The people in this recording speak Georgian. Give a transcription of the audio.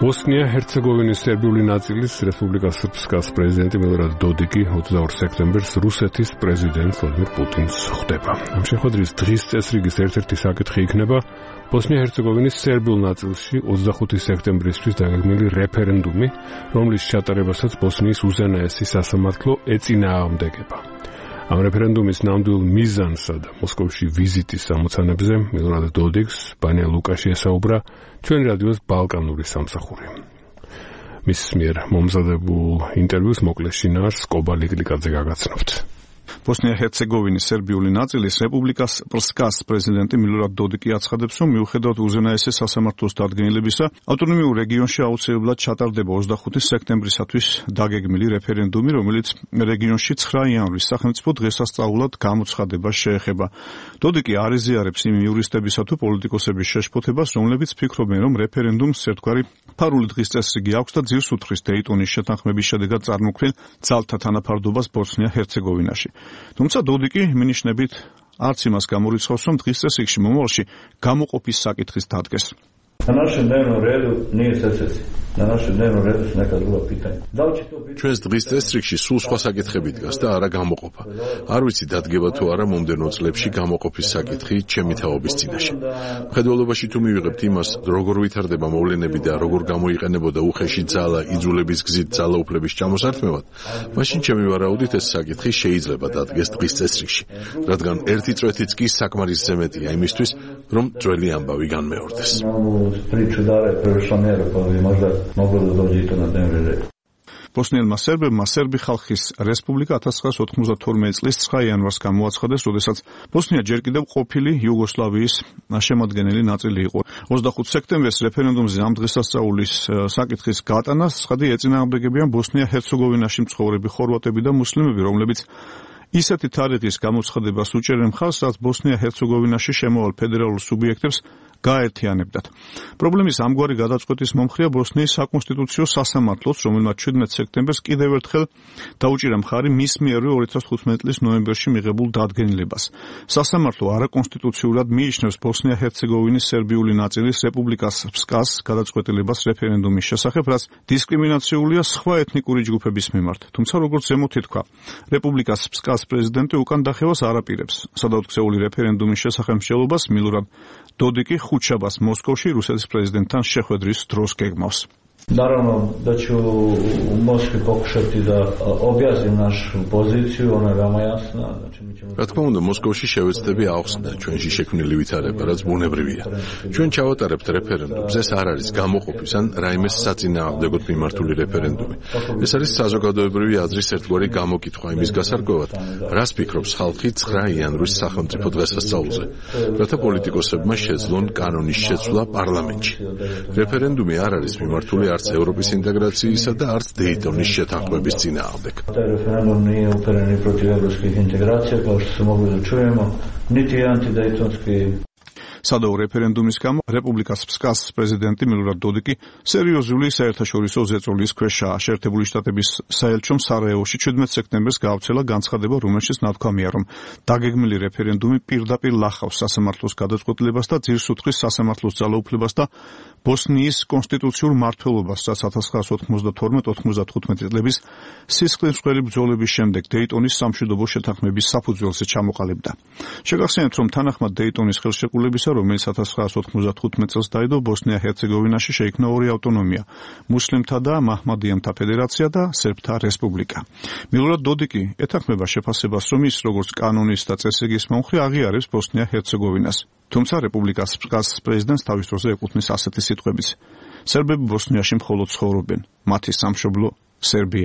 ბოსნია-ჰერცეგოვინის სერბიული ნაწილის რესპუბლიკა სრბსკას პრეზიდენტი მილორად დოდიკი 22 სექტემბერს რუსეთის პრეზიდენტ ვლადიმირ პუტინს ხვდება. ამ შეხვედრის დღის წესრიგის ერთ-ერთი საკითხი იქნება ბოსნია-ჰერცეგოვინის სერბიულ ნაწილში 25 სექტემბრისთვის დაგეგმილი რეფერენდუმი, რომლის ჩატარებასაც ბოსნიის უზენაესი სასამართლო ეწინააღმდეგება. ამ რეფერენდუმის ნამდვილ მიზანსა და მოსკოვში ვიზიტის ამოცანებზე მილორად დოდიკს ბანია ლუკაში ესაუბრა ჩვენ რადიოს ბალკანური სამსახური. მის მიერ მომზადებულ ინტერვიუს მოკლე შინაარსს კობა ლიკლიკაძე გაგაცნობთ. ბოსნია-ჰერცეგოვინის სერბიული ნაწილის რესპუბლიკას სრბსკას პრეზიდენტი მილორად დოდიკი აცხადებს, რომ მიუხედავად უზენაესი სასამართლოს დადგენილებისა, ავტონომიურ რეგიონში აუცილებლად ჩატარდება 25 სექტემბრისათვის დაგეგმილი რეფერენდუმი, რომელიც რეგიონში 9 იანვრის სახელმწიფო დღესასწაულად გამოცხადებას შეეხება. დოდიკი არ ეზიარებს იმ იურისტებისა თუ პოლიტიკოსების შეშფოთებას, რომლებიც ფიქრობენ, რომ რეფერენდუმს ერთგვარი ფარული დღის წესრიგი აქვს და ძირს უთხრის დეიტონის შეთანხმების შედეგად წარმოქმნილ ძალთა თანაფარდობას ბოსნია-ჰერცეგოვინაში. თუმცა დოდიკი მინიშნებით არც იმას გამორიცხავს, რომ დღის წესრიგში მომავალში გამოყოფის საკითხის დადგენს. ჩვენს დღის წესრიგში სულ სხვა საკითხები დგას და არა გამოყოფა. არ ვიცი დადგება თუ არა მომდევნო წლებში გამოყოფის საკითხი ჩემი თაობის წინაშე. მხედველობაში თუ მივიღებთ იმას, როგორ ვითარდება მოვლენები და როგორ გამოიყენებოდა უხეში ძალა იძულების გზით ძალაუფლების ჩამოსართმევად, მაშინ ჩემი ვარაუდით ეს საკითხი შეიძლება დადგეს დღის წესრიგში, რადგან ერთი წვეთიც კი საკმარისზე მეტია იმისთვის, რომ ძველი ამბავი განმეორდეს. ბოსნიელმა სერბებმა სერბი ხალხის რესპუბლიკა 1992 წლის 9 იანვარს გამოაცხადეს, როდესაც ბოსნია ჯერ კიდევ ყოფილი იუგოსლავიის შემადგენელი ნაწილი იყო. 25 სექტემბერს რეფერენდუმზე ამ დღესასწაულის საკითხის გატანას ცხადი ეწინააღმდეგებიან ბოსნია-ჰერცეგოვინაში მცხოვრები ხორვატები და მუსლიმები, რომლებიც ისეთი თარიღის გამოცხადებას უჭერენ მხარს, რაც ბოსნია-ჰერცეგოვინაში შემავალ ფედერალურ სუბიექტებს გაერთიანებდათ. პრობლემის ამგვარი გადაწყვეტის მომხრეა ბოსნიის საკონსტიტუციო სასამართლოც, რომელმაც 17 სექტემბერს კიდევ ერთხელ დაუჭირა მხარი მის მიერვე 2015 წლის ნოემბერში მიღებულ დადგენილებას. სასამართლო არაკონსტიტუციურად მიიჩნევს ბოსნია-ჰერცეგოვინის სერბიული ნაწილის რესპუბლიკა სრბსკას გადაწყვეტილებას რეფერენდუმის შესახებ, რაც დისკრიმინაციულია სხვა ეთნიკური ჯგუფების მიმართ. თუმცა როგორც ზემოთ ითქვა, რესპუბლიკა სრბსკას პრეზიდენტი უკან დახევას არ აპირებს. სადავტკცეული რეფერენდუმის შესახებ მსჯელობას მილორად დოდიკი ხუთშაბათს მოსკოვში რუსეთის პრეზიდენტთან შეხვედრის დროს გეგმავს. Naravno da ću u Moskvi pokušati da objasnim našu poziciju, ona je veoma jasna. რა თქმა უნდა, მოსკოვში შევეცდები ახსნა ჩვენში შექმნილი ვითარება, რაც ბუნებრივია. ჩვენ ჩავატარებთ რეფერენდუმს, ეს არ არის გამოყოფის ან რაიმეს საწინააღმდეგოდ მიმართული რეფერენდუმი. ეს არის საზოგადოებრივი აზრის ერთგვარი გამოკითხვა იმის გასარკვევად, რას ფიქრობს ხალხი 9 იანვრის სახელმწიფო დღესასწაულზე, რათა პოლიტიკოსებმა შეძლონ კანონის შეცვლა პარლამენტში. რეფერენდუმი არ არის მიმართული არც ევროპის ინტეგრაციისა და არც დეიტონის შეთანხმების წინააღმდეგ. Referendum nije uperen ni protiv evropskih integracija, kao što se mogli da čujemo, niti antidejtonski. სადავო რეფერენდუმის გამო რესპუბლიკა სრბსკას პრეზიდენტი მილორად დოდიკი სერიოზული საერთაშორისო ზეწოლის ქვეშაა. შეერთებული შტატების საელჩომ სარაევოში 17 სექტემბერს გაავრცელა განცხადება, რომელშიც ნათქვამია, რომ დაგეგმილი რეფერენდუმი პირდაპირ ლახავს სასამართლოს გადაწყვეტილებას და ძირს უთხრის სასამართლოს ძალაუფლებას და ბოსნიის კონსტიტუციურ მმართველობას, რაც 1992-95 წლების სისხლისმღერი ბრძოლების შემდეგ დეიტონის სამშვიდობო შეთანხმების საფუძველზე ჩამოყალიბდა. შეგახსენებთ, რომ თანახმად დეიტონის ხელშეკრულებისა, რომელიც 1995 წელს დაიდო, ბოსნია-ჰერცეგოვინაში შეიქმნა ორი ავტონომია: მუსლიმთა და მაჰმადიანთა ფედერაცია და სერბთა რესპუბლიკა. მილორად დოდიკი ეთანხმება შეფასებას, რომ ის როგორც კანონის და წესრიგის მომხრე აღიარებს ბოსნია-ჰერცეგოვინას. თუმცა რესპუბლიკა სრბსკას პრეზიდენტს თავის დროზე ეკუთვნის ასეთი სიტყვებიც: სერბები ბოსნიაში მხოლოდ ცხოვრობენ, მათი სამშობლო სერბია